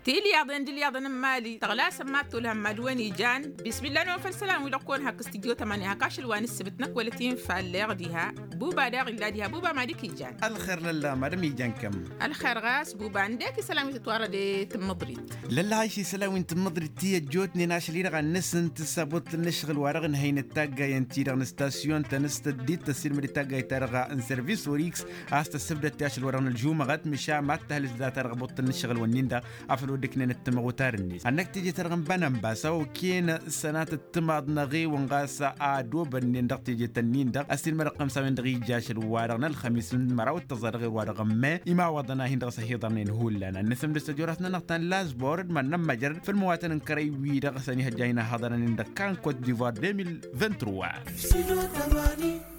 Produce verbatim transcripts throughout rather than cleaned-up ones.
Tilyaḍen d-ilyaḍen n-imali tăɣlasăn mad-tolhăn mad-wen ijan. Bismillah-năwăn făll-isălan-wi-dăɣ kăwăn-hak s-tijjo tămani hak ašăl wa n-ǝssǝbǝt năkk wăla t-infa ălleɣ diha. Buba daɣ illa diha buba mad-ik ijan. Ălxer lălla madăm ijan kăm. Ălxer ɣas buba ǝndek isălan wi tătwărăd i-tǝmmǝḍrit. Lălla ašăl isălan wi n-tǝmmǝḍrit ti ăjjootnen ašăl-i-dăɣ ad-nǝsǝntǝs abuṭṭǝl n-ǝššăɣǝl wa dăɣ-nǝhăynăt taggayăn-ti-dăɣ n-stasyon-tăn s-tăddit tăssilmăd i-taggayt-ta-dăɣ n-servis orix. A-s tăssǝbdăd ti ašăl wa dăɣ-nǝlžumăɣăt măšan mad-tăhlǝs data-dăɣ abuṭṭǝl n-ǝššăɣǝl-wǝnnin-dăɣ. Afăl wăr dd-ǝknen ăttămăɣ otar-net ad-năkk teje-ta-dăɣ n-bănănba s-a okăyăn sănatăt timaḍ n-eɣewăn ɣas. Ad-obănnen dăɣ-teje-tăn-in-dăɣ ăssiilmădăɣ-tăm s-a-wen-dăɣ ija ašăl-wa-dăɣ n-ălxămis n-măraw d-tăẓẓa dăɣ-erwa-dăɣ n-me. Imawăḍăn a hin-dăɣ-s ăhiḍărnen hullan ad-nǝsǝmdǝs tăjorăt-nănăɣ ta n-lazbor d-mad-nămmăjrăd făll-măwatăn n-kărăy-wi-dăɣ s-ănihăjja hin-ăhhăḍărăn-in-dăɣ kan kot divoir deux mille vingt-trois.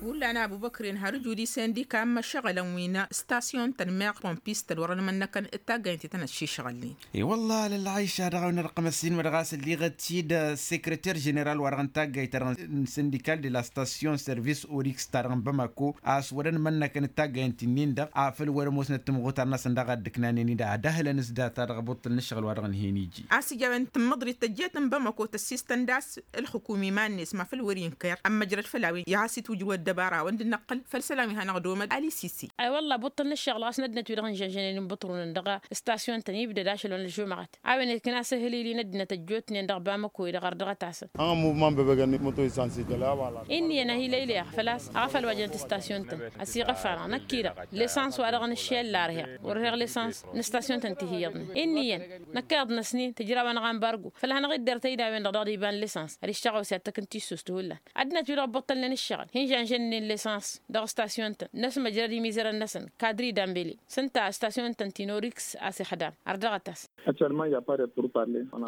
Hullan abubăkrin har ǝjud isendika n-imăšăɣălăn wi n-stasyon-tăn meɣ pompis-tăn wăr-ănmănnăkăn d-taggayăn ti tăn-ăššišɣălnen. I-wălla lălɣayša dăɣ-a-wen ărqăm ăssiinmădăɣ a-s ălliɣăt-dd sekreter ženeral-wa-dăɣ n-taggayt-ta-dăɣ n-sindikal de la stasyon servis orix-ta-dăɣ n-bamako a-s wăr-ănmănnăkăn d-taggayăn ti-nin-dăɣ afăl wăr-ămoosnăt timɣutar-năsăn daɣ a dd-ǝknanen-dd ad-ăhlăn s-data-dăɣ abuṭṭǝl n-ǝššăɣǝl-wa-dăɣ n-hin-iji. A-s ija a-wen tǝmmǝḍrit tăjjet n-bamako tăssistăn d-a-s ǝlxǝkum iman-net ma făl wăr-inker ămmăjrăd făll-a-wen i-ad-has-itwǝjrǝw ăddăbara a-wen dd-năqqǝl făll-isălan wi hanăɣ-domăd alisisi. Ay wălla buṭṭǝl n-ǝššăɣǝl ɣas n-ăddinăt-wi-dăɣ n-žănžănen n-bǝṭrunăn dăɣ-stasyon-tăn ibdăd ašăl wa n-ălžumăɣăt a-wen ǝkna s-ehǝlil-i n-ăddinăt ăjjootnen dăɣ-bamăkoy-dăɣ ărdăɣăt-asăn. Ănɣămuvman bebăgăn măto isansi tăla wala. Inn'-iyyăn a hi-lăylăyăɣ făl-a-s aɣăfăl wa jăn tǝstasyon-tăn ăsiɣăf-anăɣ năkk-i-dăɣ. Lesans-wa-dăɣ n-ǝššăyăl la ărheɣ wăr ărheɣ lesans n-stasyon-tăn ti hi-iyyăḍnen inn'-iyyăn. Năkk iyyăḍ-năsnin tǝjraw-anăɣ ambargo făll-hanăɣ-idder tăyda-wen-dăɣ dăɣ-d iba n-lesans. Ad-iššăɣăw s-i ad-tăkk n-tissust hullan ăddinăt-wi-dăɣ ăbbuṭṭălnen ǝššăɣǝl hin-žănžănnen lesans dăɣ-stasyon-tăn. Năsmăjrăd imizărăn-năsăn kadri dambele s-ǝnta stasyon-tăn ti n-orix a-s ixdam ărdăɣăt-as.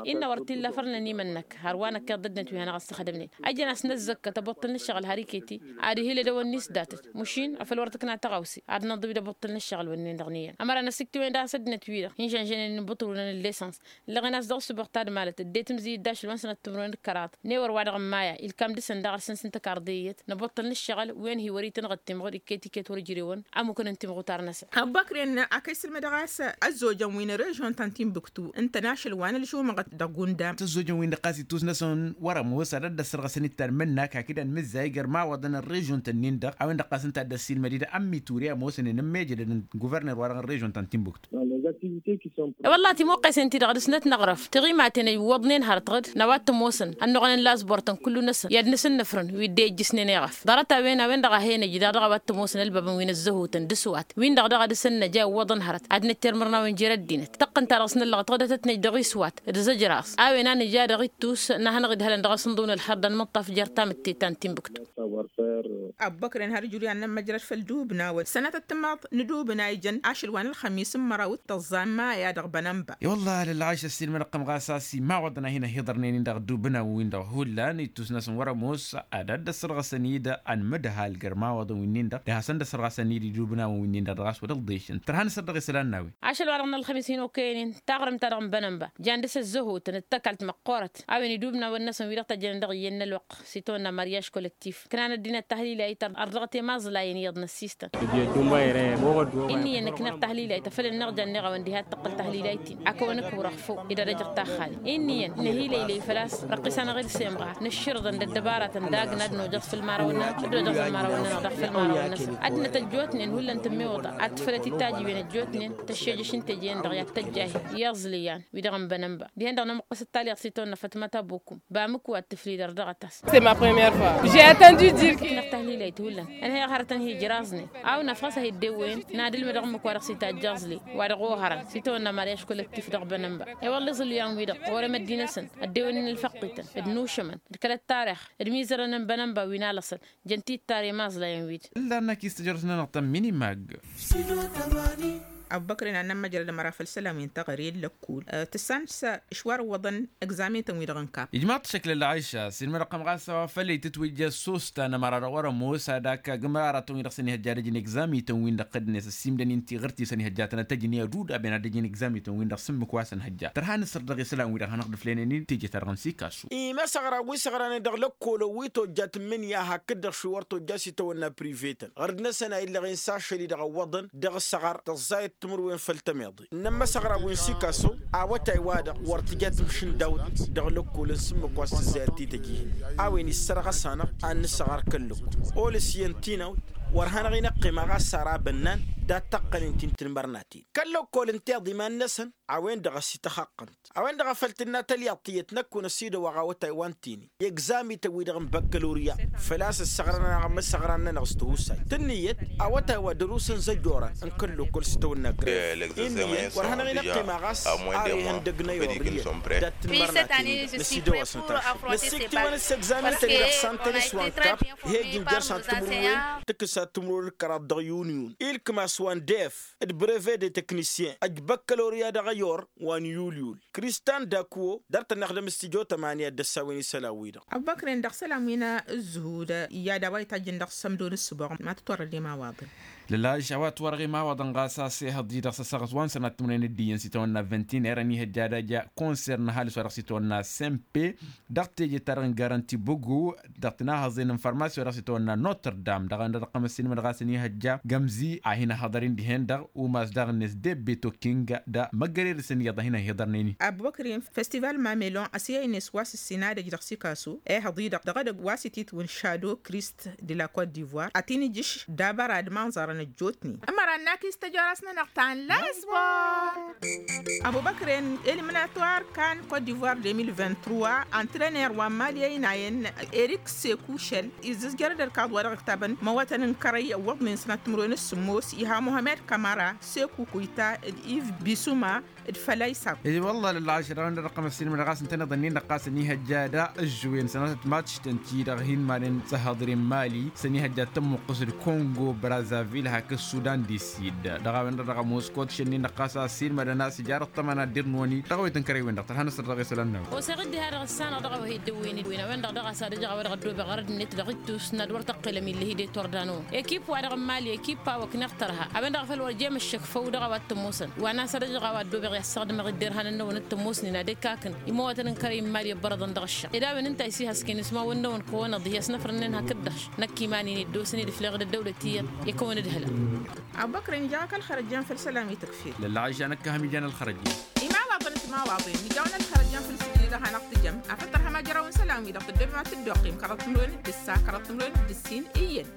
Innă wăr t-illa fărnăn imănnăk hărwa năkkeḍ d-ăddinăt wi hanăɣ-ăssăxdămnen. Ăjăn-as n-ăzzăkkăt ăbuṭṭǝl n-ǝššăɣǝl har iket-i ad-ihǝlăd a-wăn n-isdatăt. Măšin afăl wăr tǝkna tăɣawse ad-nǝnḍǝw-dd ăbuṭṭǝl n-ǝššăɣǝl wănnen-dăɣ n-iyyăn. Ămăra n-ăsiktǝwen d-a-s ăddinăt-wi-dăɣ hin-žănžănen n-bǝṭrunăn n-lesans. Ǝllăɣen-as dăɣ-ǝssǝboɣ ta d-malăt ăddinăt ǝmzǝy-dd ašăl wa n-sănăt timǝrwen d-kăraḍ. Newăr wa dăɣ-ămmaya ilkam dăɣ-săn daɣ ălsǝns n-tăkarḍe iyyăt năbuṭṭăl n-ǝššăɣǝl wen hi-wăr-itǝnɣăt timɣud iket-iket wăr-ǝjrewăn. Ămmukăn n-timɣutar-năsăn. Ăbubăkren a-k a isǝlmădăɣ a-s ăzzojăn wi n-režion ta n-timbuktu ǝntăn ašăl wa n-ălžumăɣăt dăɣ-gundam. Tăzzojăn-win-dăɣ ɣas ittus-năsăn wăr-ămoos ad-ădd-ăssărɣăsăn-dd tanmǝnnak hakd anmǝzzay gărmawăḍăn n-režion-tăn-in-dăɣ a-wen-dăɣ ɣas ǝnta a dd-ăssiilmăd-dd ămmi ture ămoosnen n-mejădăd n-guverner-wa-dăɣ n-režion ta n-timbuktu. Wălla timuqqesen-ti-dăɣ dăr-snăt năɣrăf tiɣimaten ăjwăḍnen hărăt ɣǝd n-a-wa t-ămoosăn ănnuɣăn n-lazbor-tăn kullu-năsăn i-ad-nǝsǝnnǝfrǝn wi dd-ejjǝsnen eɣăf. Ḍarăt-a-wen a-wen-dăɣ a hen-ăj daɣ dăɣ-a-wa t-ămoosăn ălbabăn wi n-ăzzăhutăn d-asǝwat win-dăɣ daɣ ad-dăr-săn năj a iwwăḍăn hărăt ad-nǝttermărnawen jer-ăddinăt tăqqǝn-ta-dăɣ s-năllăɣăt ɣǝdătăt-năj dăɣ-iswat d-zăjraẓ a-wen a nǝja dăɣ-ittus n-ad-hanăɣ-idhălăn dăɣ-asǝnḍǝw n-ălxer d-anmǝṭṭaf jer-tamǝtte ta n-timǝktu. Ăbbăkrăn har ǝjrǝyan n-ămmăjrăd făll-dubnawăn sănatăt timaḍ n-dubna ijăn ašăl wa n-ălxămis n-măraw d-tăẓẓa n-maya dăɣ-bănănba. I-wălla lălɣayš ăssiilmădăɣ-tăm ɣas a-s imawăḍăn a hin-ăhiḍărnen-in dăɣ-dubnawăn-win-dăɣ hullan ittus-năsăn wăr-ămoos ad-dd-ăssărɣăsăn-dd anmǝdhal gărmawăḍăn-win-dăɣ d-hasăn-dd-ăssărɣăsăn-dd idubnawăn-win-dăɣ dăɣ-a-s wăr-dd-ăḍḍešăn tărha n-asăr dăɣ-isălan n-a-wen. Ašăl wa dăɣ-nălxămis hin-okăyăn-in taɣrǝmt-ta-dăɣ n-bănănba jan dăr-s ăzzăhutăn d-tăkalt măqqoorăt a-wen idubnawăn-năsăn wi-dăɣ tăjjănen dăɣ-iyyăn n-ălwăqq s-itawănna maryaj kolăktif ǝknan ăddinăt tahlilay tărdăɣ-t i-imaẓlayăn iyyăḍ n-ăssistăn. Inn'-iyyăn ǝkneɣ tahlilay tăfăl ǝnneɣ jan-neɣ a-wen diha d-tăqqǝl tahlilay-t-in a kăwăn-ǝkǝwrăɣ făw. Ed ad-ăjăɣ taxxalin inn'-iyyăn năhilăylăy făl-a-s răqqisăn-aɣ-dd s-emɣar nǝššǝrǝḍăn d-ăddăbaratăn dagna d-nojăẓ făll-imărawăn-nănăɣ d-nojăẓ ălmărawăn-nănăɣ dăɣ-făll-imărawăn-năsăn ăddinăt ăjjootnen hullan tǝmmiwǝḍa ad-tǝfălăt i-tajǝywen ăjjootnen tăššejăš n-teje-en-dăɣ i-ad-tăjjahǝy i-aẓlǝyan wi-dăɣ n-bănănba dihen-dăɣ nămuqqǝs d-talyaḍt s-itawănna fatmăt abukǝm. Bamǝkwa d-tǝfli d-ărdăɣăt-as. Ǝkneɣ tahlilăyt hullan ănhăyăɣ hărătăn hi-ǝjraẓnen a-wen afɣas a hi-dd-ewwăyăn n-ad-ǝlmǝdăɣ ǝmmǝk-wa-dăɣ s-itajj aẓli wa dăɣ-oharăn s-itawănna maryaj kolăktif dăɣ-bănănba. I-wălla iẓǝlǝyan-wi-dăɣ ɣur-e măddinăsăn ăddewănnen ălfăqqităn d-inušămăn d-kăl-ăttarix d-imizărăn n-bănănba wi n-alăṣăl. Jăn tittare imaẓlayăn-wi-dăɣ. Ǝllan-năk i-s tǝjrăt-nănăɣ ta n-minimag. Abubăkren ad-nămmăjrăd ămăra făll-isălan wi n-teɣăre n-lăkkul tǝssan-s ǝšwar ǝwwăḍăn egzamin-tăn-wi-dăɣ n-kap. Ijmaḍ-t šăkk lălɣayša s-inmădăɣ-tăm ɣas a-wa făl itǝtwǝjja s-osta n-ămăra-dăɣ wăr-ămoos ad-ak agǝm aratăn-wi-dăɣ s-ănihăjja ad-ăjǝn egzamin-tăn-win-dăɣ tăjnet ăssiimdăn-in tiɣǝrt-i s-ănihăjja ad-tăn-tăjǝn i-ad-udab i-ad-ăjǝn egzamin-tăn-win-dăɣ s-ǝmmǝk wa s-ănhăjja tărha nǝsăr dăɣ-isălan-wi-dăɣ hanăɣ-dd-ǝflăynen-in teje-ta-dăɣ n-sikasu. Imăsăɣra wi săɣrănen dăɣ-lăkkol-wi tojja tǝmmǝnǝya hakd-dăɣ šwi wăr tojja s-itawănna prive-tăn ɣărd-năsăn a illăɣen s-ašăl-i-dăɣ ăwwăḍăn dăɣ-săɣăr tăẓẓayăt. timǝrwen făll-tămiḍe ǝnnăn imăsăɣra wi n-sikaso. Awătay-wa-dăɣ wăr tǝja tǝmšǝndawt dăɣ-lăkkolăn s-ǝmmǝk wa s-tǝzzayăt tităjihăn a-wen issărɣăs-anăɣ ad-nǝsăɣar kăl-lăkkol olǝs iyyăn tinawt. Wăr hanăɣ-in-ăqqima ɣas ara bănnan dat-tăqqănen ti n-tǝnmărnaten kăl-lăkkol ǝnta iḍa iman-năsăn. A-wen-dăɣ a-s ităxaqqăn a-wen-dăɣ a făl tǝnna tălyaḍt tiyyăt năkk-un ăsidăwaɣ awătay wa n-tini egzamităn-wi-dăɣ n-băkkălorya. Făl-a-s ǝssăɣrăn-anăɣ ămmăsăɣran-nănăɣ s-tihusay tǝnnǝyăt awătay wa dăr-usăn zăjorăn n-kăl-lăkkol s-tăwănna gref. Inniyăt wăr hanăɣ-in-ăqqima ɣas ar ihăndăg n-ayor iyyăn dat-tǝnmărnaten-i-dăɣ năsidăwasnăt ašăl năssiktiwăn s-egzamităn-i-dăɣ santăn s-wa n-kap. He-ijǝnjăr s-ad-timǝrwen tǝkkǝs ad-timǝrwen d-kăraḍ dăɣ-yuniyun ilkǝm a-s wa n-def d-breve de teknisyen ăj băkkălorya dăɣ-ayor wa n-yulyul. Kristan dakuwo dăr-tăn-ixdăm s-tijo tămanya dd-ăssawen isălan-wi-dăɣ. Ăbbăkren dăɣ-isălan wi n-ǝzzǝhud i-ad-a-wa itajjăn dăɣ-sămdo n-ǝssǝboɣ ma tǝtwărrăd i-imawaḍăn. Lălaj a-wa ătwărăɣ imawaḍăn ɣas a-s ehăḍ-i-dăɣ s-ăssaɣăt wa n-sănat timǝrwen d-iyyăn s-itawănna văntin erăn ihăjja ad-aja konser n-ăhalǝs wa dăɣ-s itawănna sempe dăɣ-teje-ta-dăɣ n-garanti bǝggu dăɣ-tǝnahăẓen n-farmasi wa dăɣ-s itawănna notre dam dăɣ-a-wen-dăɣ dăɣ-tămăssin imǝnɣasăn ihăjja gămzi a hin-ăhhăḍăr-in dihen-dăɣ umas daɣ-net debbe tokking. D-amăggărer-săn iyyăḍ a hin-ăhiḍărnen-i. Ăbubăkr-in festival mamelon ăsiyăynes wa s-ǝssin adăj dăɣ-sikasu ehăḍ-i-dăɣ dăɣ-edăgg wa s-ititwǝn šado krist de la kot divoir ad-t-in-ǝjǝš d-abăra d-imanẓarăn ăjjootnen. Ămăra n-akis tăjoras-nănăɣ ta n-lasbor. Ăbubăkr-en eliminator kan kot divoir deux mille vingt-trois, antrener wa n-mali ăynayăn erik sekušăl izzǝzjăr-dd ălkaḍ wa dăɣ-ǝktabăn imăwătăn n-kărăy ăwwăḍnen sănat timǝrwen s-sǝmmos iha muhammed kamara, seku kuyta d-iv bisuma d-fălăysab. I-wălla lălɣašăr a-wen-dăɣ ăqqăm ăssiilmădăɣ a-s ǝntăneḍ ǝnnin-dăɣ ɣas ăniihăjja da ǝžžǝwen sănatăt matš-tăn-ti-dăɣ hin-manen s-ăhhăḍre n-mali s-ăniihăjja d-tămmuqqǝs d-kongo brazavil hakd sudan di sid. Dăɣ-a-wen-dăɣ dăɣ-ămoos kotš ǝnnin-dăɣ ɣas a ăssiilmădăn a-s ija dăɣ-tămăna d-irnoni dăɣ-awet n-kărăy-wen-dăɣ tărha n-asăr dăɣ-e isălan-năwăn. Oseɣ dd-iha dăɣ-ǝssanăɣ dăɣ-a-wa hi-dd-ǝwwin-dd wi n-a-wen-dăɣ dăɣ-a-s ad-ăjăɣ a-wa dăɣ-ăddobeɣ ɣărăd-net dăɣ-ittus n-ad-wăr tăqqilăm ill'-hi d-e-tordanăwăn ekip-wa-dăɣ n-mali ekip a-wa ǝkneɣ tărha a-wen-dăɣ a făl wăr jem ăššăkfăw dăɣ-a-wa t-ămoosăn wa n-a-s ad-ăjăɣ a-wa ăddobeɣ i-ad-săɣdǝmăɣ-dd erhanăn-năwăn t-ămoosnen ad-ekakăn imăwătăn n-kărăy n-mali ăbbărăḍăn dăɣ-ǝššăɣ ed a-wen ǝnta a isihăsken ismawăn-năwăn kăwănăḍ ihi ăsnăfrănnen hakd-dăɣ. Năkk iman-in iddosăn-dd fleɣ d-ăddăwlăt iyyăḍ ikăwăn-dd hăla. Abubăkr-in jaɣ-ak ălxărăjjan făll-isălan wi tǝkfel. Lălɣažža năkk a hăm ijan ălxărăjjan. Imawaḍăn d-timawaḍen nǝjawăn ălxărăjjan făll-isǝjli dăɣ-hanăɣ-tǝjăm afăl tărha ma jăraw n-isălan-wi-dăɣ tǝddobem ad-tǝddoqqim kăraḍ timǝrwen d-ǝssa kăraḍ timǝrwen d-ǝssin iyyăn.